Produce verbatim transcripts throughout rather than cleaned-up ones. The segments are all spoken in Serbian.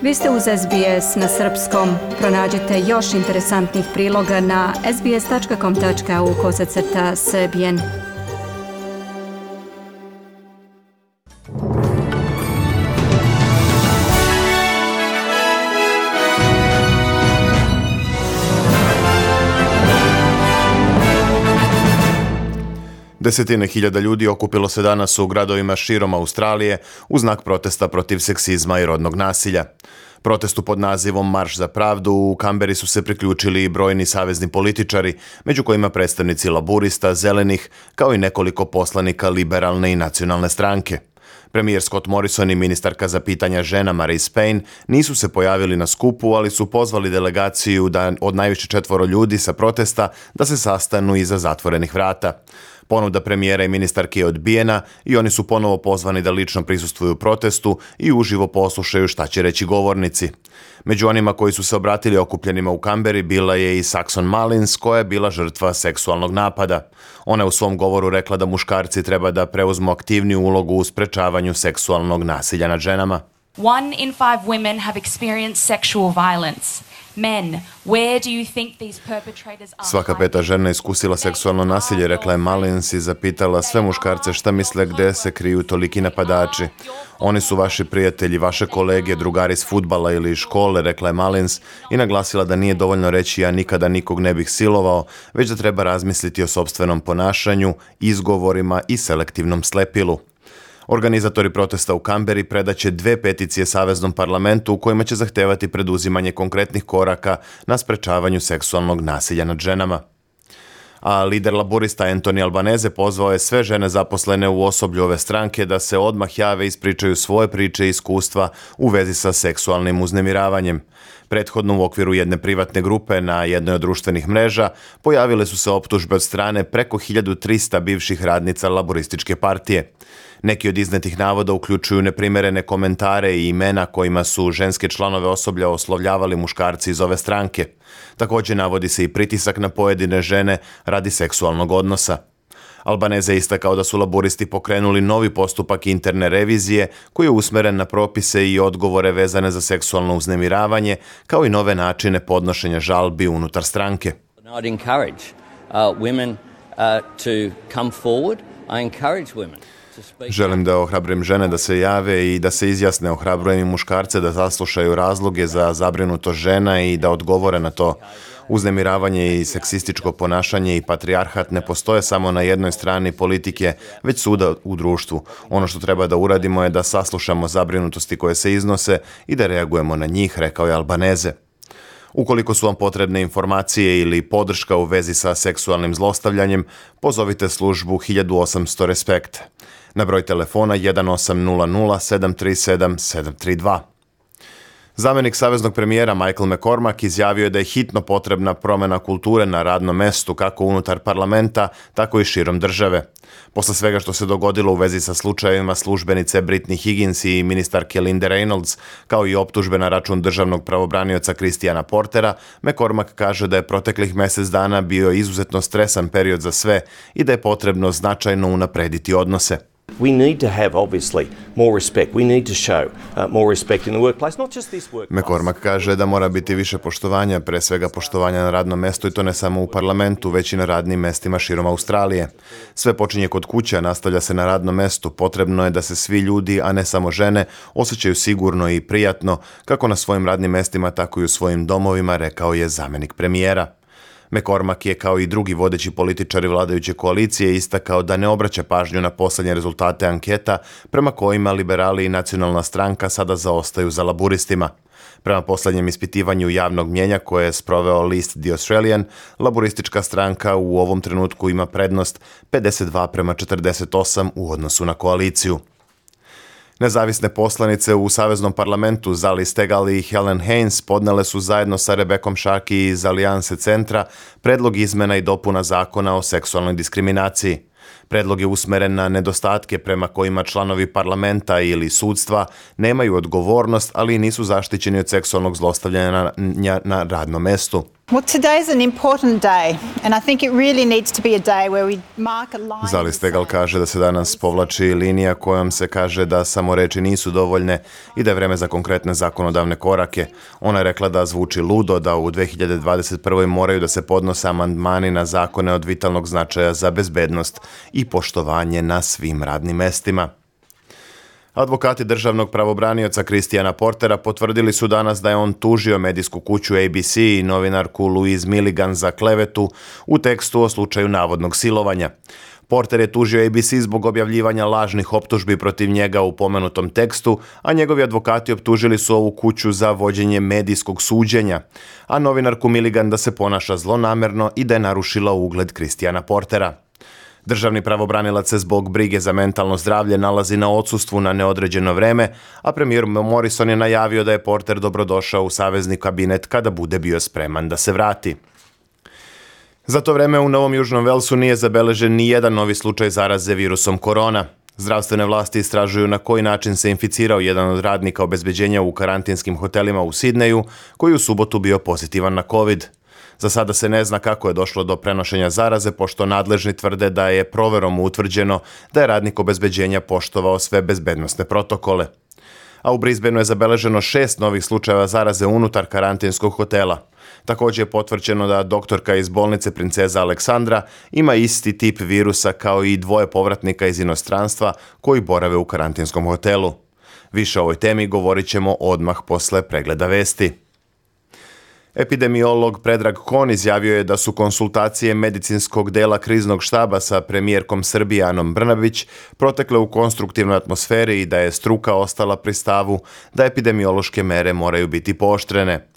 Vi ste uz S B S na srpskom. Pronađite još interesantnih priloga na sbs.com.au kosacrta srbijen. Desetine hiljada ljudi okupilo se danas u gradovima širom Australije u znak protesta protiv seksizma i rodnog nasilja. Protestu pod nazivom Marš za pravdu u Kamberi su se priključili i brojni savezni političari, među kojima predstavnici laburista, zelenih, kao i nekoliko poslanika liberalne i nacionalne stranke. Premijer Scott Morrison i ministarka za pitanja žena Marise Payne nisu se pojavili na skupu, ali su pozvali delegaciju da od najviše četvoro ljudi sa protesta da se sastanu iza zatvorenih vrata. Ponuda premijera i ministarke je odbijena i oni su ponovo pozvani da lično prisustvuju protestu i uživo poslušaju šta će reći govornici. Među onima koji su se obratili okupljenima u Kamberi bila je i Saxon Mullins, koja je bila žrtva seksualnog napada. Ona je u svom govoru rekla da muškarci treba da preuzmu aktivniju ulogu u sprečavanju seksualnog nasilja nad ženama. One in five women have experienced sexual violence. Men, where do you think these perpetrators are? Svaka peta žena iskusila seksualno nasilje, rekla je Mullins i zapitala sve muškarce šta misle gde se kriju toliki napadači. Oni su vaši prijatelji, vaše kolege, drugari s fudbala ili škole, rekla je Mullins i naglasila da nije dovoljno reći ja nikada nikog ne bih silovao, već da treba razmisliti o sopstvenom ponašanju, izgovorima i selektivnom slepilu. Organizatori protesta u Kamberi predaće dve peticije Saveznom parlamentu u kojima će zahtevati preduzimanje konkretnih koraka na sprečavanju seksualnog nasilja nad ženama. A lider laburista Anthony Albanese pozvao je sve žene zaposlene u osoblju ove stranke da se odmah jave i ispričaju svoje priče i iskustva u vezi sa seksualnim uznemiravanjem. Prethodno u okviru jedne privatne grupe na jednoj od društvenih mreža pojavile su se optužbe od strane preko hiljadu trista bivših radnica laburističke partije. Neki od iznetih navoda uključuju neprimerene komentare i imena kojima su ženske članove osoblja oslovljavali muškarci iz ove stranke. Također navodi se i pritisak na pojedine žene radi seksualnog odnosa. Albanese je istakao da su laburisti pokrenuli novi postupak interne revizije koji je usmeren na propise i odgovore vezane za seksualno uznemiravanje, kao i nove načine podnošenja žalbi unutar stranke. I'd encourage uh, women uh, to come forward. I encourage women. Želim da ohrabrim žene da se jave i da se izjasne, ohrabrujem i muškarce da saslušaju razloge za zabrinutost žena i da odgovore na to. Uznemiravanje i seksističko ponašanje i patrijarhat ne postoje samo na jednoj strani politike, već svuda u društvu. Ono što treba da uradimo je da saslušamo zabrinutosti koje se iznose i da reagujemo na njih, rekao je Albanese. Ukoliko su vam potrebne informacije ili podrška u vezi sa seksualnim zlostavljanjem, pozovite službu hiljadu osamsto Respekt. Na broj telefona jedan osam nula nula sedam tri sedam sedam tri dva. Zamenik saveznog premijera Michael McCormack izjavio je da je hitno potrebna promjena kulture na radnom mestu kako unutar parlamenta, tako i širom države. Posle svega što se dogodilo u vezi sa slučajevima službenice Britney Higgins i ministarke Linde Reynolds, kao i optužbe na račun državnog pravobranioca Christiana Portera, McCormack kaže da je proteklih mjesec dana bio izuzetno stresan period za sve i da je potrebno značajno unaprediti odnose. We need to have, obviously, more respect. We need to show uh, more respect in the workplace, not just this workplace. McCormack kaže da mora biti više poštovanja, pre svega poštovanja na radnom mestu i to ne samo u parlamentu, već i na radnim mestima širom Australije. Sve počinje kod kuće, nastavlja se na radnom mestu. Potrebno je da se svi ljudi, a ne samo žene, osjećaju sigurno i prijatno, kako na svojim radnim mestima, tako i u svojim domovima, rekao je zamenik premijera. McCormack je kao i drugi vodeći političari vladajuće koalicije istakao da ne obraća pažnju na posljednje rezultate anketa prema kojima liberali i nacionalna stranka sada zaostaju za laburistima. Prema posljednjem ispitivanju javnog mnjenja koje je sproveo list The Australian, laburistička stranka u ovom trenutku ima prednost pedeset dva prema četrdeset osam u odnosu na koaliciju. Nezavisne poslanice u Saveznom parlamentu Zali Steggall i Helen Haines podnele su zajedno sa Rebekom Sharkey iz Alijanse centra predlog izmena i dopuna zakona o seksualnoj diskriminaciji. Predlog je usmeren na nedostatke prema kojima članovi parlamenta ili sudstva nemaju odgovornost, ali i nisu zaštićeni od seksualnog zlostavljanja na, na radnom mestu. Well, today's an important day, and I think it really needs to be a day where we mark a line. Zali Stegal kaže da se danas povlači linija kojom se kaže da samo reči nisu dovoljne i da je vreme za konkretne zakonodavne korake. Ona je rekla da zvuči ludo da u dve hiljade dvadeset prvoj moraju da se podnose amandmani na zakone od vitalnog značaja za bezbednost i poštovanje na svim radnim mestima. Advokati državnog pravobranioca Christiana Portera potvrdili su danas da je on tužio medijsku kuću A B C i novinarku Louise Milligan za klevetu u tekstu o slučaju navodnog silovanja. Porter je tužio A B C zbog objavljivanja lažnih optužbi protiv njega u pomenutom tekstu, a njegovi advokati optužili su ovu kuću za vođenje medijskog suđenja, a novinarku Milligan da se ponaša zlonamerno i da je narušila ugled Christiana Portera. Državni pravobranilac se zbog brige za mentalno zdravlje nalazi na odsustvu na neodređeno vreme, a premijer Morrison je najavio da je Porter dobrodošao u savezni kabinet kada bude bio spreman da se vrati. Za to vreme u Novom Južnom Velsu nije zabeležen ni jedan novi slučaj zaraze virusom korona. Zdravstvene vlasti istražuju na koji način se inficirao jedan od radnika obezbeđenja u karantinskim hotelima u Sidneju, koji u subotu bio pozitivan na COVID. Za sada se ne zna kako je došlo do prenošenja zaraze, pošto nadležni tvrde da je proverom utvrđeno da je radnik obezbeđenja poštovao sve bezbednosne protokole. A u Brisbaneu je zabeleženo šest novih slučajeva zaraze unutar karantinskog hotela. Također je potvrđeno da doktorka iz bolnice Princeza Aleksandra ima isti tip virusa kao i dvoje povratnika iz inostranstva koji borave u karantinskom hotelu. Više o ovoj temi govorit ćemo odmah posle pregleda vesti. Epidemiolog Predrag Kon izjavio je da su konsultacije medicinskog dela kriznog štaba sa premijerkom Srbije Anom Brnabić protekle u konstruktivnoj atmosferi i da je struka ostala pri stavu da epidemiološke mere moraju biti pooštrene.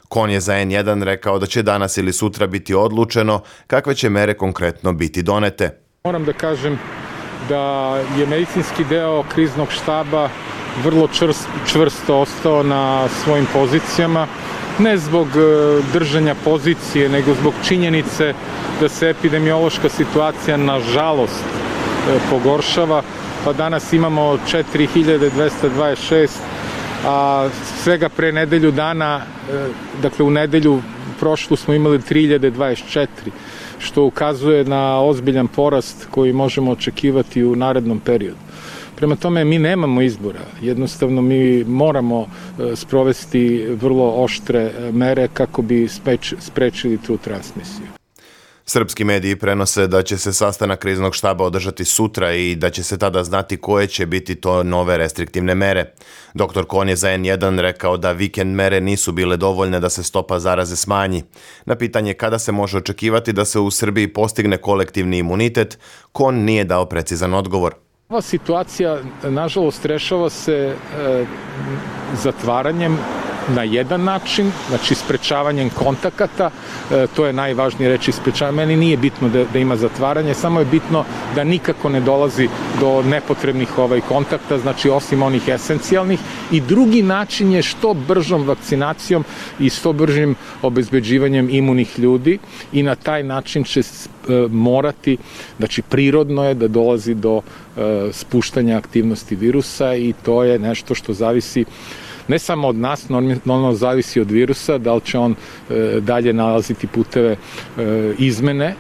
Kon je za en jedan rekao da će danas ili sutra biti odlučeno kakve će mere konkretno biti donete. Moram da kažem da je medicinski deo kriznog štaba vrlo čvrst, čvrsto ostao na svojim pozicijama. Ne zbog držanja pozicije, nego zbog činjenice da se epidemiološka situacija nažalost pogoršava. Pa danas imamo četiri hiljade dvesta dvadeset šest, a svega pre nedelju dana, dakle u nedelju prošlu smo imali tri hiljade dvadeset četiri, što ukazuje na ozbiljan porast koji možemo očekivati u narednom periodu. Prema tome, mi nemamo izbora. Jednostavno, mi moramo sprovesti vrlo oštre mere kako bi sprečili tu transmisiju. Srpski mediji prenose da će se sastanak kriznog štaba održati sutra i da će se tada znati koje će biti to nove restriktivne mere. Doktor Kon je za en jedan rekao da vikend mere nisu bile dovoljne da se stopa zaraze smanji. Na pitanje kada se može očekivati da se u Srbiji postigne kolektivni imunitet, Kon nije dao precizan odgovor. Ova situacija, nažalost, rešava se e, zatvaranjem na jedan način, znači sprečavanjem kontakata, e, to je najvažnije reći sprečavanje. Meni nije bitno da, da ima zatvaranje, samo je bitno da nikako ne dolazi do nepotrebnih ovaj kontakta, znači osim onih esencijalnih. I drugi način je što bržom vakcinacijom i što bržim obezbeđivanjem imunih ljudi i na taj način će e, morati, znači prirodno je da dolazi do e, spuštanja aktivnosti virusa i to je nešto što zavisi ne samo od nas, normalno zavisi od virusa, da li će on e, dalje nalaziti puteve e, izmene,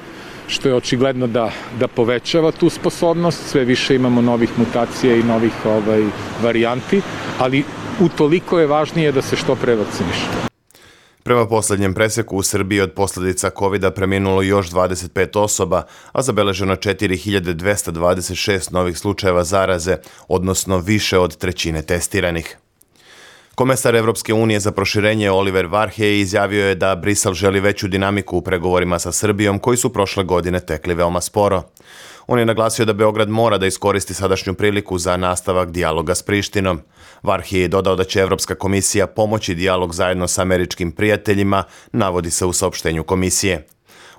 što je očigledno da, da povećava tu sposobnost, sve više imamo novih mutacija i novih ovaj, varijanti, ali utoliko je važnije da se što pre vakciniše. Prema posljednjem preseku u Srbiji od posljedica kovida preminulo još dvadeset pet osoba, a zabeleženo četiri hiljade dvesta dvadeset šest novih slučajeva zaraze, odnosno više od trećine testiranih. Komesar Evropske unije za proširenje Oliver Varhej izjavio je da Brisel želi veću dinamiku u pregovorima sa Srbijom koji su prošle godine tekli veoma sporo. On je naglasio da Beograd mora da iskoristi sadašnju priliku za nastavak dijaloga s Prištinom. Varhej je dodao da će Evropska komisija pomoći dijalog zajedno sa američkim prijateljima, navodi se u saopštenju komisije.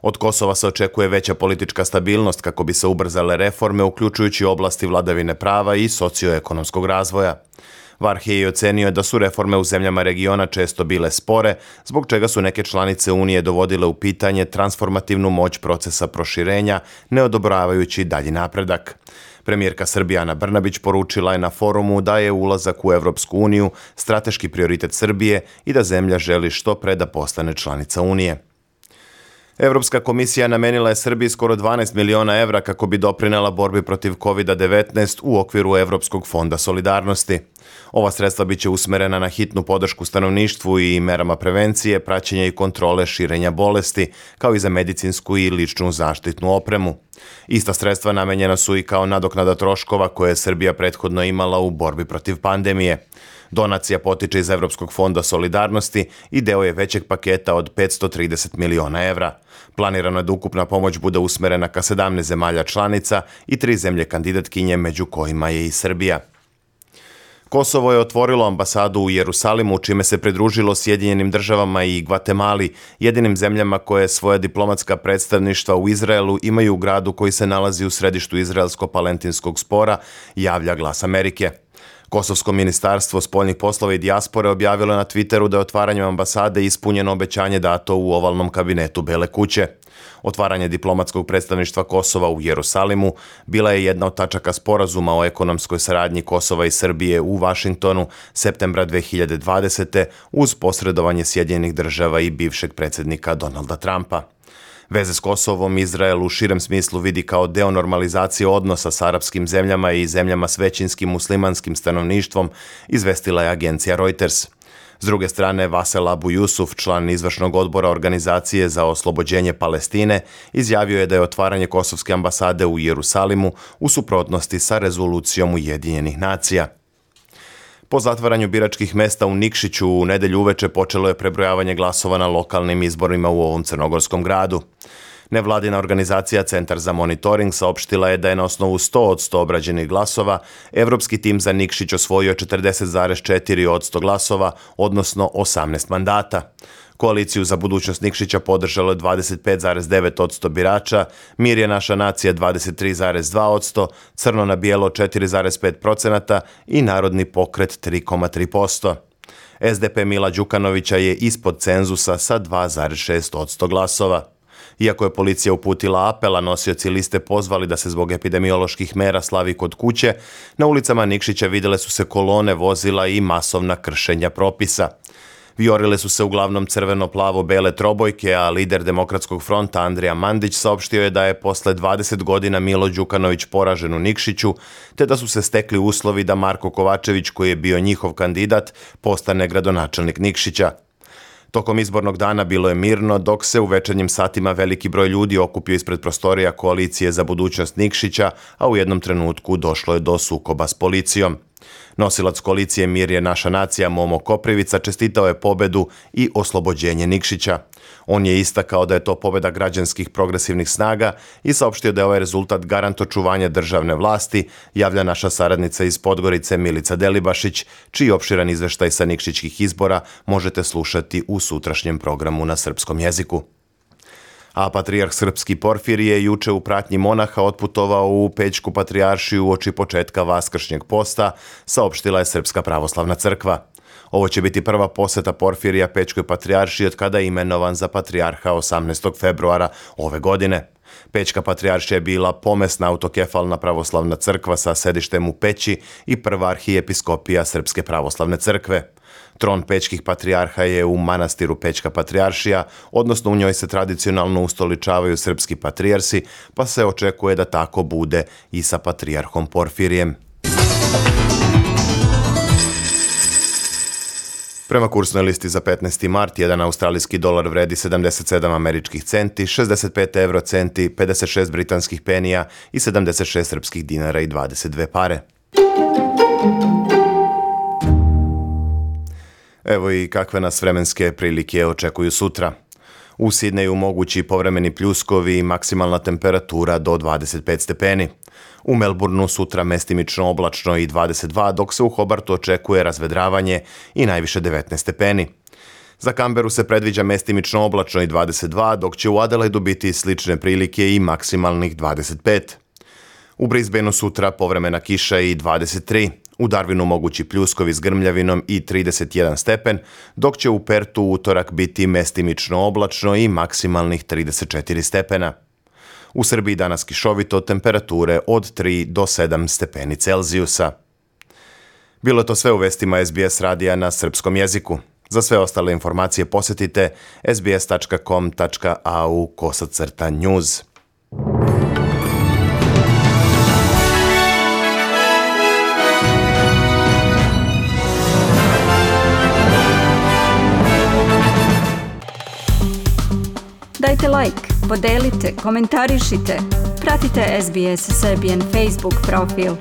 Od Kosova se očekuje veća politička stabilnost kako bi se ubrzale reforme, uključujući oblasti vladavine prava i socioekonomskog razvoja. Varhej je ocenio da su reforme u zemljama regiona često bile spore, zbog čega su neke članice Unije dovodile u pitanje transformativnu moć procesa proširenja, ne odobravajući dalji napredak. Premijerka Srbije Ana Brnabić poručila je na forumu da je ulazak u Evropsku uniju strateški prioritet Srbije i da zemlja želi što pre da postane članica Unije. Evropska komisija namenila je Srbiji skoro dvanaest miliona evra kako bi doprinela borbi protiv kovid devetnaest u okviru Evropskog fonda solidarnosti. Ova sredstva biće usmerena na hitnu podršku stanovništvu i merama prevencije, praćenja i kontrole širenja bolesti, kao i za medicinsku i ličnu zaštitnu opremu. Ista sredstva namenjena su i kao nadoknada troškova koje je Srbija prethodno imala u borbi protiv pandemije. Donacija potiče iz Evropskog fonda solidarnosti i deo je većeg paketa od petsto trideset miliona evra. Planirano je da ukupna pomoć bude usmerena ka sedamnaest zemalja članica i tri zemlje kandidatkinje, među kojima je i Srbija. Kosovo je otvorilo ambasadu u Jerusalimu, čime se pridružilo Sjedinjenim državama i Gvatemali, jedinim zemljama koje svoja diplomatska predstavništva u Izraelu imaju u gradu koji se nalazi u središtu izraelsko-palentinskog spora, javlja Glas Amerike. Kosovsko ministarstvo spoljnih poslova i dijaspore objavilo na Twitteru da je otvaranjem ambasade ispunjeno obećanje dato u ovalnom kabinetu Bele kuće. Otvaranje diplomatskog predstavništva Kosova u Jerusalimu bila je jedna od tačaka sporazuma o ekonomskoj saradnji Kosova i Srbije u Vašingtonu septembra dve hiljade dvadesete uz posredovanje Sjedinjenih država i bivšeg predsjednika Donalda Trumpa. Veze s Kosovom Izrael u širem smislu vidi kao deo normalizacije odnosa s arapskim zemljama i zemljama s većinskim muslimanskim stanovništvom, izvestila je agencija Reuters. S druge strane, Vasel Abu Jusuf, član izvršnog odbora Organizacije za oslobođenje Palestine, izjavio je da je otvaranje kosovske ambasade u Jerusalimu u suprotnosti sa rezolucijom Ujedinjenih nacija. Po zatvaranju biračkih mesta u Nikšiću u nedelju uveče počelo je prebrojavanje glasova na lokalnim izborima u ovom crnogorskom gradu. Nevladina organizacija Centar za monitoring saopštila je da je na osnovu sto od sto obrađenih glasova evropski tim za Nikšić osvojio četrdeset zarez četiri posto glasova, odnosno osamnaest mandata. Koaliciju za budućnost Nikšića podržalo je dvadeset pet zarez devet posto birača, Mir je naša nacija dvadeset tri zarez dva posto, Crno na bijelo četiri zarez pet posto i Narodni pokret tri zarez tri posto. S D P Mila Đukanovića je ispod cenzusa sa dva zarez šest posto glasova. Iako je policija uputila apel, a nosioci liste pozvali da se zbog epidemioloških mera slavi kod kuće, na ulicama Nikšića vidjele su se kolone vozila i masovna kršenja propisa. Vijorile su se uglavnom crveno-plavo-bele trobojke, a lider Demokratskog fronta Andrija Mandić saopštio je da je posle dvadeset godina Milo Đukanović poražen u Nikšiću, te da su se stekli uslovi da Marko Kovačević, koji je bio njihov kandidat, postane gradonačelnik Nikšića. Tokom izbornog dana bilo je mirno, dok se u večernjim satima veliki broj ljudi okupio ispred prostorija Koalicije za budućnost Nikšića, a u jednom trenutku došlo je do sukoba s policijom. Nosilac koalicije Mir je naša nacija Momo Koprivica čestitao je pobedu i oslobođenje Nikšića. On je istakao da je to pobeda građanskih progresivnih snaga i saopštio da je ovaj rezultat garant očuvanja državne vlasti, javlja naša saradnica iz Podgorice Milica Delibašić, čiji opširan izveštaj sa nikšićkih izbora možete slušati u sutrašnjem programu na srpskom jeziku. A patrijarh srpski Porfirije je juče u pratnji monaha otputovao u Pećku patrijaršiju uoči početka Vaskršnjeg posta, saopštila je Srpska pravoslavna crkva. Ovo će biti prva poseta Porfirija Pećkoj patrijaršiji od kada je imenovan za patrijarha osamnaestog februara ove godine. Pećka patrijaršija je bila pomesna autokefalna pravoslavna crkva sa sedištem u Peći i prva arhijepiskopija Srpske pravoslavne crkve. Tron pećkih patrijarha je u manastiru Pećka patrijaršija, odnosno u njoj se tradicionalno ustoličavaju srpski patrijarsi, pa se očekuje da tako bude i sa patrijarhom Porfirijem. Prema kursnoj listi za petnaesti mart, jedan australijski dolar vredi sedamdeset sedam američkih centi, šezdeset pet evro centi, pedeset šest britanskih penija i sedamdeset šest srpskih dinara i dvadeset dve pare. Evo i kakve nas vremenske prilike očekuju sutra. U Sidneju mogući povremeni pljuskovi i maksimalna temperatura do dvadeset pet stepeni. U Melbourneu sutra mestimično oblačno i dvadeset dva, dok se u Hobartu očekuje razvedravanje i najviše devetnaest stepeni. Za Canberu se predviđa mestimično oblačno i dvadeset dva, dok će u Adelaidu biti slične prilike i maksimalnih dvadeset pet. U Brisbaneu sutra povremena kiša i dvadeset tri. U Darwinu mogući pljuskovi s grmljavinom i trideset jedan stepen, dok će u Pertu utorak biti mestimično oblačno i maksimalnih trideset četiri stepena. U Srbiji danas kišovito, temperature od tri do sedam stepeni Celzijusa. Bilo je to sve u vestima S B S radija na srpskom jeziku. Za sve ostale informacije posjetite sbs.com.au kosacrta news. Dajte like, podelite, komentarišite, pratite S B S Serbian Facebook profil.